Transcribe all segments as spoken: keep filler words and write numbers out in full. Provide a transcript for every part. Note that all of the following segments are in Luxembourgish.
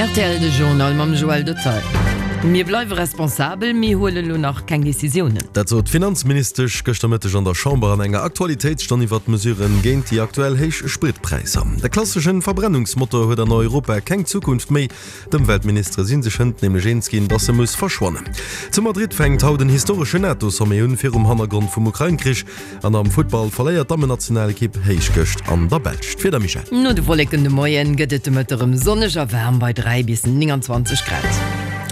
Rtl de Journal mam Joël Detail. Mir bleiwe responsabel, mir huelen elo nach keng Decisiounen. Dat sot d'Finanzministesch gëschter Mëtteg an der Chamber an enger Aktualitéitsstonn iwwert d'Mesuren géint déi aktuell héich Spritpräisser. De klasseschen Verbrennungsmotor huet an Europa keng Zukunft méi. D'Ëmweltministere si sech hënt nämlech eens ginn, dass e muss verschwannen. Zu Madrid fänkt haut en historesche NATO-Sommet un, virum Hannergrond vum Ukrain-Krich. An am Futtball verléiert d'Dammennationalekipp héich gëscht an der Belsch. D'Wieder, Michèle? No de Wolleken de Moien gëtt et de Mëtteg erëm sonneg a waarm bei dräi bis nénganzwanzeg Grad.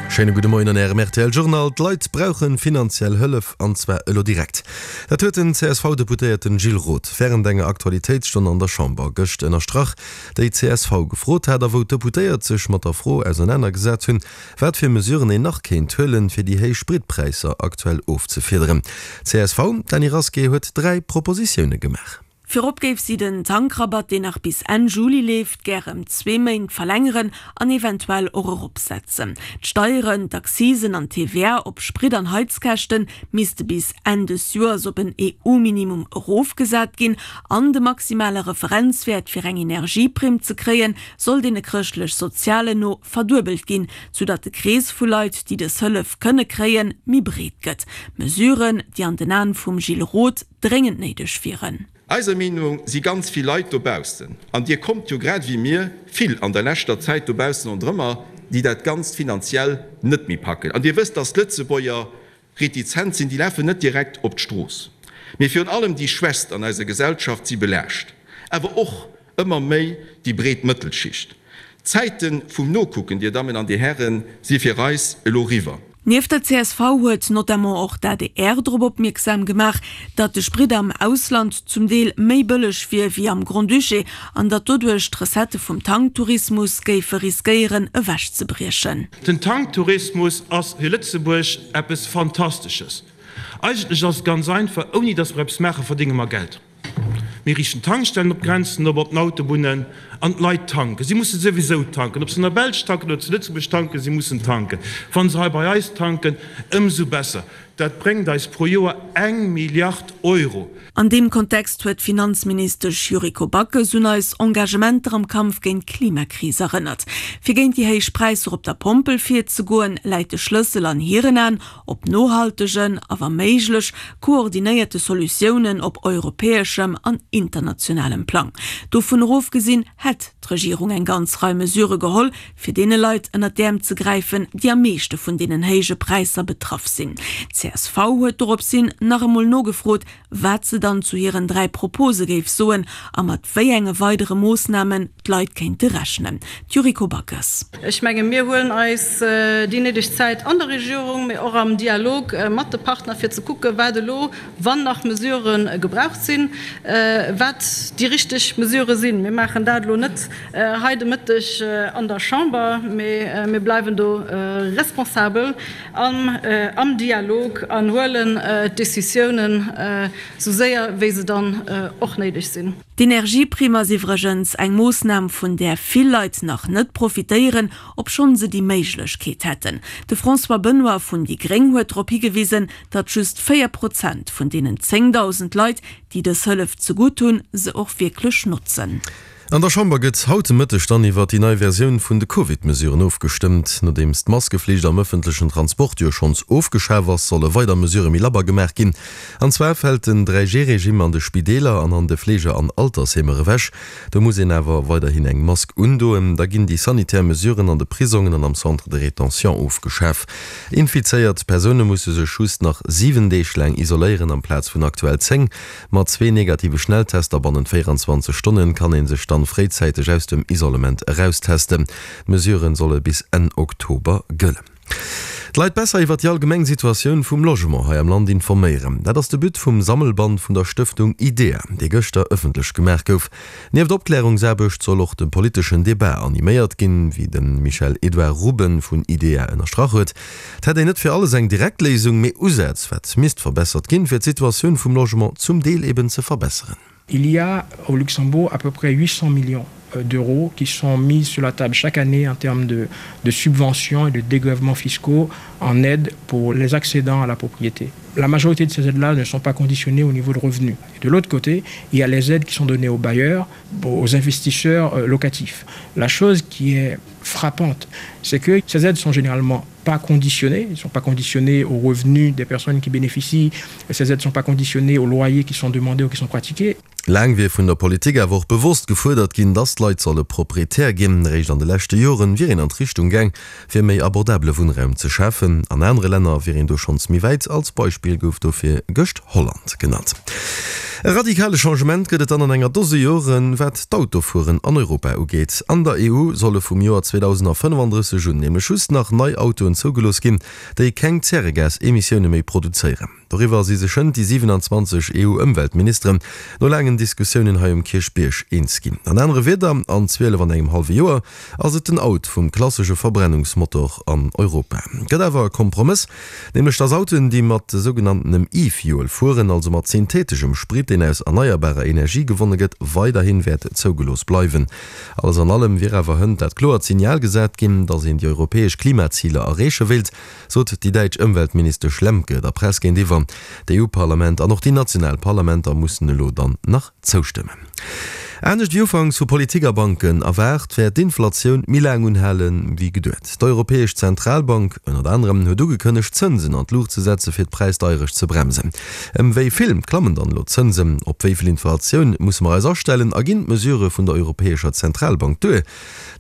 Schéine gudde Moien an Ärem rtl Journal. D'Leit brauche finanziell Hëllef, an zwar elo direkt. Dat huet den C S V-Deputéierten Gilles Roth wärend enger Aktualitéitsstonn an der Chamber gëscht ënnerstrach, déi C S V gefrot hat a wou d'Deputéiert sech mat der Fro ausernanergesat hunn, wat fir Mesuren een nach kéint huelen, fir déi héich Spritpräisser aktuell ofzefiederen. C S V, D'Dany Rasqué huet dräi Propositioune gemaach. Virop géif si den Tankrabatt, deen nach bis Enn Juli leeft, gär ëm zwee Méint verlängeren an eventuell och eropsetzen. D'Steieren, d'Accisen an d'T V A op Sprit an Heizkäschte misste bis Enn des Joers op en E U-Minimum erofgesat ginn an de maximale Referenzwäert fir eng Energieprimm ze kréien, soll deene Chrëschtlech-Sozialen no verduebelt ginn, soudatt de Krees vu Leit, déi dës Hëllef kënne kréien, méi breet gëtt. Mesuren, déi an den Aen vum Gilles Roth dréngend néideg wieren. Eiser Meenung si ganz vill Leit dobaussen, an Dir kommt jo grad ewéi mir vill an der leschter Zäit dobaussen ronderëmmer, déi dat Ganzt finanziell net méi packen. An Dir wësst, dass d'Lëtzebuerger retizent sinn, déi lafen net direkt op d'Strooss. Mee virun allem déi Schwächst an eiser Gesellschaft si belaascht, awer och ëmmer méi déi breet Mëttelschicht. D'Zäite vum Nokucken, Dir Dammen an Dir Hären, si fir eis elo riwwer. Nieft der C S V huet notamment och d'A D R drop opmierksam gemaach, datt de Sprit am Ausland zum Deel méi bëlleg wier wéi am Grand-Duché an datt doduerch d'Recettë vum Tanktourismus géife riskéieren ewechzebriechen. Den Tanktourismus ass fir Lëtzebuerg eppes Fantastesches. Eigentlech ass et ganz einfach, ouni datt mer eppes maachen, verdénge mer Geld. Mir riichten Tankstellen op Grenzen op, op den Autobunnen, an d'Leit tanken. Si musse souwisou tanken, ob se an der Belsch tanken oder zu Lëtzebuerg tanken, si mussen tanken. Wa se hei bei eis tanken, ëmsou besser. Dat bréngt eis pro Joer eng Milliard Euro. An deem Kontext huet d'Finanzministesch Yuriko Backes un eis Engagementer am Kampf géint d'Klimakris erënnert. Fir géint déi héich Präisser op der Pompel virzegoen, läit de Schlëssel an hiren Aen op nohaltegen, a wa méiglech koordinéierte Solutiounen op europäeschem an internationalem Plang. Dovun ofgesinn hätt d'Regierung eng ganz Rei Mesure geholl, fir deene Leit ënnert d'Äerm ze gräifen, déi am meeschte vun deenen héije Präisser betraff sinn. C S V huet doropshin nach emol nogefrot, wat se dann zu hiren dräi Propose géif soen a mat wéi enge weidere Moossnamen d'Leit kéinte rechnen. D'Yuriko Backes. Ech menge mir huelen eis déi néideg Zäit an der Regierung, mee och am Dialog mat de Partner fir ze kucke wat elo, wann nach Mesure gebraucht sinn, wat déi richteg Mesure sinn. Mir maachen dat elo net hei de Mëtteg an der Chamber, mee mir bleiwen do responsabel am, am Dialog an huelen d'Decisiounen sou séier wéi se dann och néideg sinn. D'Energieprimm ass iwwregens eng Moossnam, vun där vill Leit nach net profitéieren, obschonn se déi Méiglechkeet hätten. De François Benoy vun déi Gréng huet drop higewisen, datt just véier Prozent vun deenen zéngdausend Leit, déi dës Hëllef zegutt hunn, se och wierklech notzen. An der Chamber gëtt haut de Mëtteg dann iwwer déi nei Versioun vun de Covid-Mesuren ofgestëmmt. Nodeems d'Maskeflicht am ëffentlechen Transport jo schonns ofgeschaf ass, solle weider Mesure méi labber gemaach ginn. An zwar fält den dräi G-Regime an de Spideeler an an de Fleege an Altersheemer ewech. Do muss een awer weiderhin eng Mask undoen. Da ginn déi sanitär Mesuren an de Prisongen an am Centre de rétention ofgeschaf. Infizéiert Persoune musse sech just nach siwen Deeg laang isoléieren amplaz vun aktuell zéng. Mat zwee negative Schnelltester bannent véierenzwanzeg Stonne kann ee sech dann fréizäiteg aus dem Isolement eraustesten. D'Mesuren solle bis Enn Oktober gëllen. D'Leit besser iwwer déi allgemeng Situatioun vum Logement hei am Land informéieren. Dat ass de But vum Sammelband vun der Stëftung IDEA, dee gëschter ëffentlech gemaach gouf. Nieft Opklärungsaarbecht soll och de politeschen Debat animéiert ginn, wéi de Michel-Edouard Ruben vun IDEA ënnerstrach huet. Et hätt een net fir alles eng direkt Léisung, mee Usätz, wat misst verbessert ginn, fir d'Situatioun vum Logement zum Deel eben ze verbesseren. Il y a au Luxembourg à peu près huit cents millions d'euros qui sont mis sur la table chaque année en termes de, de subventions et de dégrèvements fiscaux en aide pour les accédants à la propriété. La majorité de ces aides-là ne sont pas conditionnées au niveau de revenus. Et de l'autre côté, il y a les aides qui sont données aux bailleurs, aux investisseurs euh, locatifs. La chose qui est frappante, c'est que ces aides sont généralement pas conditionnées, ne sont pas conditionnées aux revenus des personnes qui bénéficient, ces aides ne sont pas conditionnées aux loyers qui sont demandés ou qui sont pratiqués. Laang wier vun der Politik awer och bewosst gefuerdert ginn, dass d'Leit solle Proprietär ginn. Réischt an de leschte Joren wier een an d'Richtung gaang, fir méi abordabele Wunnraum ze schafen. An anere Länner wier een do schonns méi wäit, als Beispill gouf dofir gëscht Holland genannt. E radikale Changement gëtt et dann an enger Dose Joren, wat d'Autofueren an Europa ugeet. An der E U solle vum Joer zweedausendfënnefandrësseg un nämlech just nach nei Autoen zougelooss ginn, déi keng Zäregas-Emissioune méi produzéieren. Doriwwer si sech hënt déi siewenanzwanzeg E U-Ëmweltministeren no laangen Diskussiounen hei um Kierchbierg eens ginn. An anere Wierder, an zwielef an engem hallwe Joer ass et den Out vum klassesche Verbrennungsmotor an Europa. Gëtt awer e Kompromëss, nämlech dass Autoen, déi mat sougenanntenem E-Fuel fueren, also mat syntheteschem Sprit, deen aus erneierbarer Energie gewonne gëtt, weiderhi wäert zougelooss bleiwen. Alles an allem wier awer hënt dat kloert Signal gesat ginn, dass een déi europäesch Klimaziler erreeche wéilt, sot déi däitsch Ëmweltministesch Lemke der Press géintiwwer. D'E U-Parlament an och déi national Parlamenter mussen elo dann nach zoustëmmen. Anescht wéi ufanks vu Politik a Banken erwaart, wäert d'Inflatioun méi laang unhale wéi geduet. D'Europäesch Zentralbank ënnert anerem huet ugekënnegt, d'Zënsen an d'Luucht ze setze fir d'Präisdeierecht ze bremsen. Ëm wéi vill klammen dann elo d'Zënsen? Op wéi vill Inflatioun musse mer eis astellen a ginn d'Mesurë vun der Europäescher Zentralbank duer?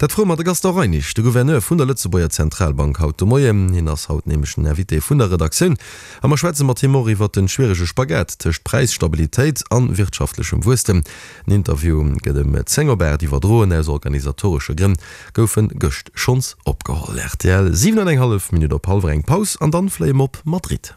Dat froe mer de Gaston Reinesch, de Gouverneur vun der Lëtzebuerger Zentralbank haut de Moien. Hien ass haut nämlech den Invité vun der Redaktioun a mer schwätze mat him och iwwert den schwierege Spagat tëscht Präisstabilitéit an wirtschaftlechem Wuesstem. Den Interview gëtt ëm zéng op aacht iwwerdroen, aus organisatoresche Grënn gouf en gëscht schonns opgeholl. Rtl, siwen an eng hallef Minutt op hallwer eng, Paus an dann fléie mer op Madrid.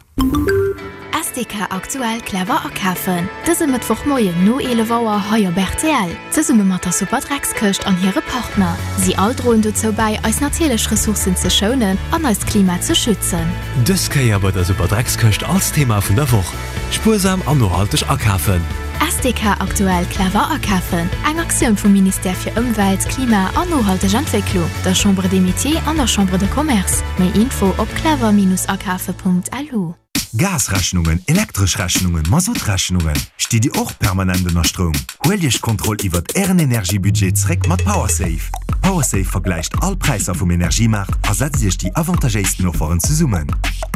S D K Aktuell clever akafen. Dëse Mëttwochmoien no eelef Auer hei op R T L. Zesumme mat der Superdreckskëscht an hire Partner. Si all droen dozou bäi, eis natierlech Ressourcen ze schounen an eist Klima ze schützen. Dës Kéier bei der Superdreckskëscht als Thema vun der Woch: Spuersam an nohalteg akafen. S D K Aktuell clever akafen. Eng Aktioun vum Ministère fir Ëmwelt, Klima an nohalteg Entwécklung, der Chambre des Métiers an der Chambre de Commerce. Méi Info op clever-akafe Punkt L U. Gasrechnungen, elektresch Rechnungen, Mazoutrechnungen. Stitt Dir och permanent ënner Stroum? Huelt Iech d'Kontroll iwwer Ären Energiebudget zréck mat PowerSafe. PowerSafe vergläicht all Präisser vum Energiemaart a setzt Iech déi avantagéisten Offeren zesummen.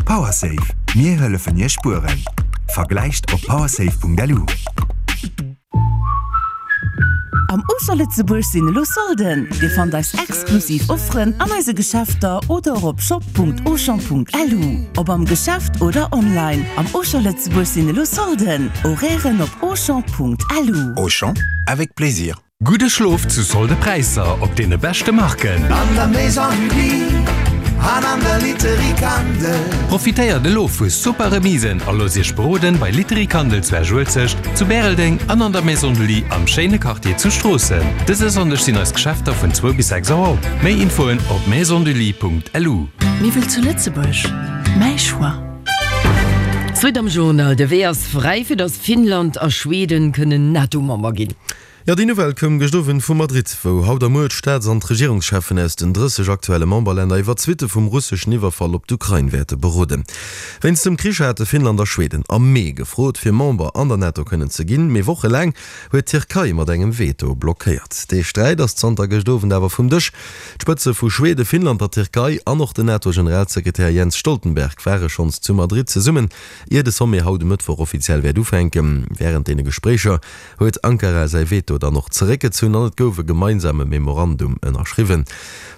PowerSafe, mir hëllefen Iech spueren. Vergläicht op powersafe Punkt L U. Am Auchan Lëtzebuerg sinn elo Solden. Dir fannt eis exklusiv Offeren an eise Geschäfter oder op shop Punkt auchan Punkt L U. Ob am Geschäft oder online. Am Auchan Lëtzebuerg sinn elo Solden. Horairen op auchan Punkt L U. Auchan, avec plaisir. Gudde Schlof zu Solde-Präisser op deene beschte Marken. An der Maison du Lit an an der Literie Kandel. Profitéiert elo vu super Remisen a loosst Iech beroden bei Literie Kandel zu Esch-Uelzecht, zu Bäreldeng an an der Maison du Lit am schéine Quartier zu Stroossen. Dëse Sonndeg sinn eis Geschäfter vun zwou bis sechs Auer op. Méi Infoen op maisondulit Punkt L U. Miwwel zu Lëtzebuerg, mäi Choix. Zweet am Journal, De Wee ass fräi fir datt Finnland a Schweden kënnen NATO-Member ginn. Jo, déi Nouvelle koum gëscht Owend vu Madrid, wou haut a muer d'Staats an d'Regierungscheffen aus den drësseg aktuelle Memberlänner iwwer d'Suitte vum russeschen Iwwerfall op d'Ukrain wäerte beroden. Wéinst dem Krich hate Finnland a Schweden am Mee gefrot, fir Member an der NATO kënnen ze ginn, mee wochelaang huet d'Tierkei mat engem Veto blockéiert. Dee Sträit ass zanter gëscht Owend awer vum Dësch. D'Spëtze vu Schweden, Finnland, der Tierkei an och den NATO-Generalsekretär Jens Stoltenberg ware schonns zu Madrid zesummen, ier de Sommet haut e Mëttwoch offiziell wäert ufänken. Wärend deene Gespréicher huet Ankara säi Veto dann och zeréckgezunn an et gouf e gemeinsame Memorandum ënnerschriwwen.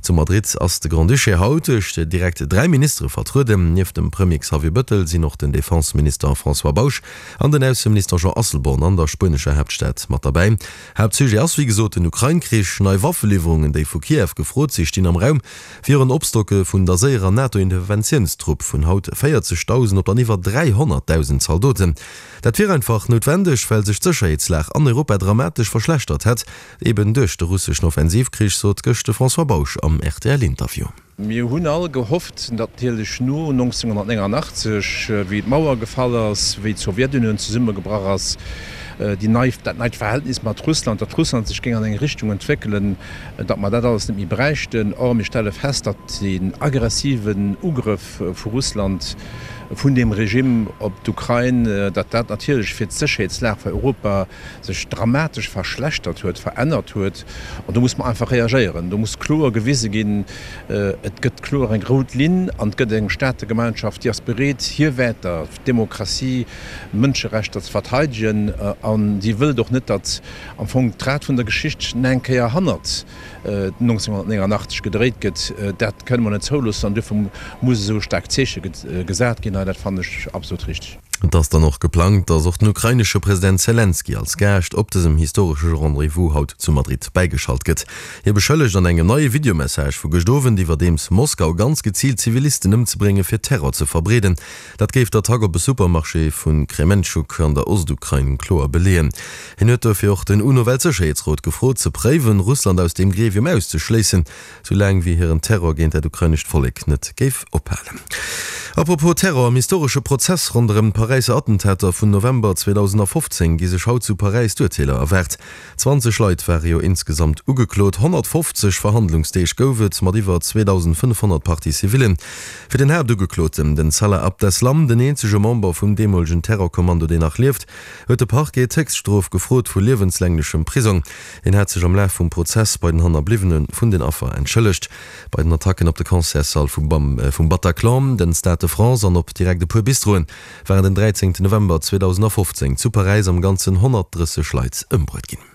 Zu Madrid ass de Grand-Duché haut duerch direkt dräi Ministere vertrueden. Nieft dem Premier Xavier Bettel sinn och den Defenseminister François Bausch an den Ausseminister Jean Asselborn an der spuenescher Haaptstad mat derbäi. Haaptsujet ass wéi gesot den Ukrain-Krich. Nei Waffeliwwerungen, déi vu Kiew gefrot sinn, stinn am Raum. Fir en Opstocke vun der séierer NATO-Interventiounstrupp vun haut véierzegdausend op dann iwwer dräihonnertdausend Zaldoten. Dat wier einfach noutwendeg, well sech d'Sécherheetslag an Europa dramatesch verschlechtert hätt, eben duerch de russeschen Offensivkrich, sot gëscht de François Bausch am R T L-Interview. Mir hunn all gehofft, natierlech no nonzénghonnertnéngannachtzeg, wéi d'Mauer gefall ass, wéi d'Sowjetunioun zesummegebrach ass, déi nei, dat neit Verhältnis mat Russland, datt Russland sech géing an eng Richtung entwéckelen, datt mer dat alles net méi bräichten. Or, mir stelle fest, datt den aggressiven Ugrëff vu Russland vun deem Regime op d'Ukrain, datt dat natierlech fir d'Sécherheetslag fir Europa sech dramatesch verschlechtert huet, verännert huet. An do muss mer einfach reagéieren. Do muss kloer gewise ginn, et gëtt kloer eng rout Linn an et gëtt eng Staategemeinschaft, déi ass bereet, hir Wäerter, d'Demokratie, d'Mënscherechter ze verteidegen. An déi wëllt och net, datt am Fong d'Rad vun der Geschicht nach eng Kéier hannert nonzénhunnertnéngannachtzeg gedréit gëtt. Dat kënne mer net zouloossen an duerfir muss esou e staarkt Zeeche gesat ginn hei. Dat fannen ech absolut richteg. Et ass dann och geplangt, datt och den ukrainesche President Selenskyj als Gaascht op dësem historesche Rendez-vous haut zu Madrid bäigeschalt gëtt. Hie beschëllegt an engem neie Videomessage vu gëscht Owend iwwerdeems Moskau ganz geziilt Zivilisten ëmzebrénge fir Terror ze verbreeden. Dat géif d'Attack op e Supermarché vu Krementschuk an der Ostukrain kloer beleeën. Hien huet dofir och den UNO-Weltsécherheetsrot gefrot, ze préiwen, Russland aus deem Gremium auszeschléissen, sou laang wéi hiren Terror géint dat ukrainescht Vollek net géif ophalen. Apropos Terror, Am historesche Prozess ronderëm d'Paräisser Attentater vun November zweedausendfofzéng gi sech haut zu Paräis d'Urteeler erwaart. Zwanzeg Leit ware jo insgesamt ugeklot, honnertfofzeg Verhandlungsdeeg gouf et, mat iwwer zweedausendfënnefhonnert Parties civillen. Fir den Haaptugekloten, den Salah Abdeslam, den eenzege Member vum deemolegen Terrorkommando, deen nach lieft, huet de Parquet d'Héchststrof gefrot vu liewenslänglechem Prisong. Hien hat sech am Laf vum Prozess bei den Hannerbliwwene vun den Affer entschëllegt. Bei den Attacken op de Concertssall vum Bataclan, den Stade de France an op direkt e puer Bistroen waren den dräizéngten November zweedausendfofzéng zu Paräis am Ganzen honnertdrësseg Leit ëmbruet ginn.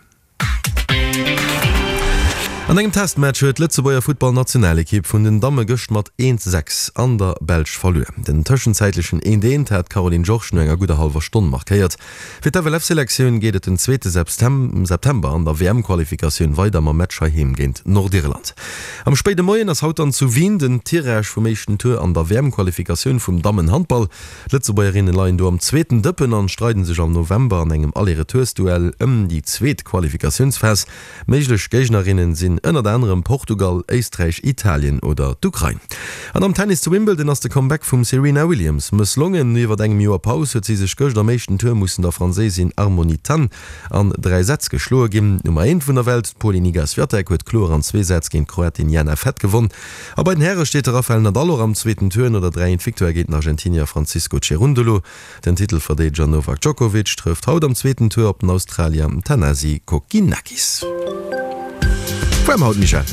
An engem Testmatch huet d'Lëtzebuerger Futtballnationalekipp vun den Damme gëscht mat eent, sechs an der Belsch verluer. Den tëschenzäitlechen eent, eent hat d'Caroline Georges no enger gudder hallwer Stonn markéiert. Fir d'FLF-Selektioun geet et den zweete September an der W M-Qualifikatioun weider mam Match heiheem géint Nordirland. Am spéide Moien ass haut dann zu Wien den Tirage vum éischten Tour an der W M-Qualifikatioun vum Dammen-Handball. D'Lëtzebuergerinne leien do am zweeten Dëppen an streiden sech am November an engem Aller-Retoursduell ëm déi zweet Qualifikatiounsphas. Méiglech Géignerinnen sinn ënnert anerem Portugal, Éisträich, Italien oder d'Ukrain. An am Tennis zu Wimbledon ass de Comeback vum Serena Williams mësslongen. No iwwert engem Joer Paus huet si sech gëscht am éischten Tour mussen der Franséisin Harmony Tan an dräi Sätz geschloe ginn. D'Nummer eent vun der Welt, d'Polin Iga Swiatek, huet kloer an zwee Sätz géint d'Kroatin Jana Fett gewonn. A bei den Häre steet de Rafael Nadal och am zweeten Tour no der dräi eent Victoire géint den Argentinier Francisco Cerundolo. Den Titelverdeedeger Novak Djokovic trëfft haut am zweeten Tour op den Australier Thanasi Kokkinakis. Waarm haut, Michèle?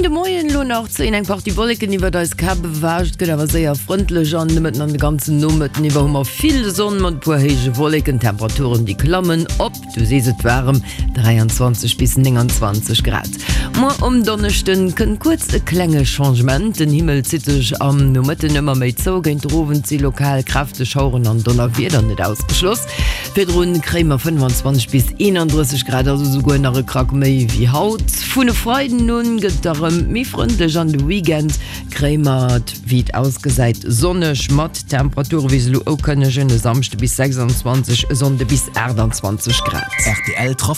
De Moien elo nach zéien eng Partie Wolleken iwwert eis Käpp ewech. Et gëtt awer séier frëndlech an de Mëtten an de ganzen Nomëtten iwwer hu mer vill Sonn mat e puer héije Wolleken. Temperaturen déi klammen op, du sees et, waarem dräianzwanzeg bis nénganzwanzeg Grad. Muer um Donneschden kënnt kuerz e klenge Changement, den Himmel zitt sech am Nomëtten ëmmer méi zou, géint den Owend si lokal kräfteg Schaueren an Donnerwieder net ausgeschloss. Virdrun kréie mer fënnefanzwanzeg bis eenandrësseg Grad, also souguer nach e Krack méi wéi haut. Vun e Freiden un gëtt et erëm méi frëndlech an de Weekend kréie mer et, wéi et ausgesäit, sonneg mat Temperature wéi se elo ukënnegen, e Samschde bis sechsanzwanzeg, e Sonnde bis aachtanzwanzeg Grad. Rtl Trafic.